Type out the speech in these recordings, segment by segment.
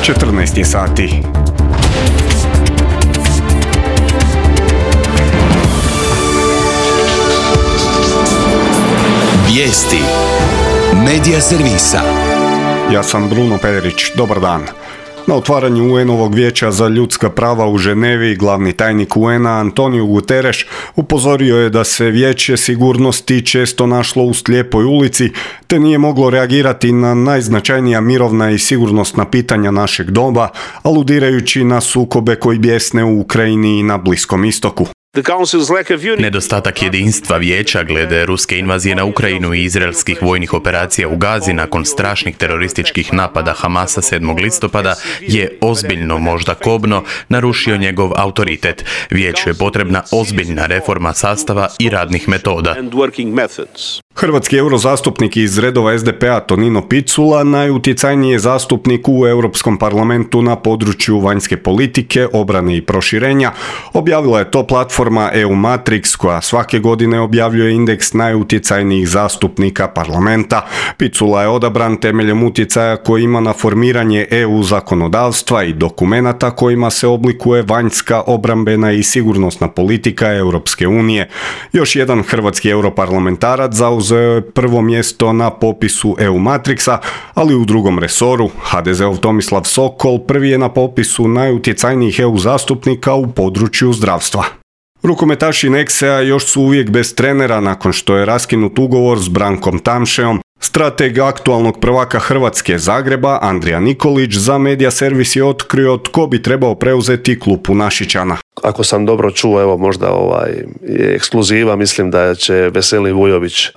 14 sati. Vijesti Medija servisa. Ja sam Bruno Pederić, dobar dan. Na otvaranju UN-ovog vijeća za ljudska prava u Ženevi glavni tajnik UN-a Antonio Guterres upozorio je da se vijeće sigurnosti često našlo u slijepoj ulici te nije moglo reagirati na najznačajnija mirovna i sigurnosna pitanja našeg doba, aludirajući na sukobe koji bjesne u Ukrajini i na Bliskom istoku. Nedostatak jedinstva vijeća glede ruske invazije na Ukrajinu i izraelskih vojnih operacija u Gazi nakon strašnih terorističkih napada Hamasa 7. listopada je ozbiljno, možda kobno, narušio njegov autoritet. Vijeću je potrebna ozbiljna reforma sastava i radnih metoda. Hrvatski eurozastupnik iz redova SDP-a Tonino Picula najutjecajniji je zastupnik u Europskom parlamentu na području vanjske politike, obrane i proširenja. Objavila je to platforma EU Matrix koja svake godine objavljuje indeks najutjecajnijih zastupnika parlamenta. Picula je odabran temeljem utjecaja koji ima na formiranje EU zakonodavstva i dokumenata kojima se oblikuje vanjska, obrambena i sigurnosna politika Europske unije. Još jedan hrvatski europarlamentarac zauzeo je prvo mjesto na popisu EU Matrixa, ali u drugom resoru. HDZ-ov Tomislav Sokol prvi je na popisu najutjecajnijih EU zastupnika u području zdravstva. Rukometaši Nexea još su uvijek bez trenera nakon što je raskinut ugovor s Brankom Tamšeom. Strateg aktualnog prvaka Hrvatske Zagreba, Andrija Nikolić, za Medija servis je otkrio tko bi trebao preuzeti klupu Našičana. Ako sam dobro čuo, evo možda je ekskluziva, mislim da će Veselin Vujović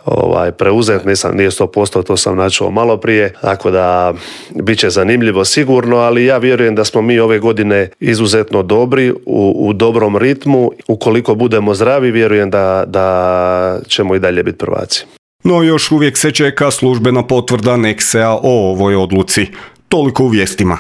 preuzeti, nije 100%, to sam načuo malo prije, tako da bit će zanimljivo sigurno, ali ja vjerujem da smo mi ove godine izuzetno dobri, u dobrom ritmu, ukoliko budemo zdravi, vjerujem da ćemo i dalje biti prvaci. No još uvijek se čeka službena potvrda Nexea o ovoj odluci. Toliko u vijestima.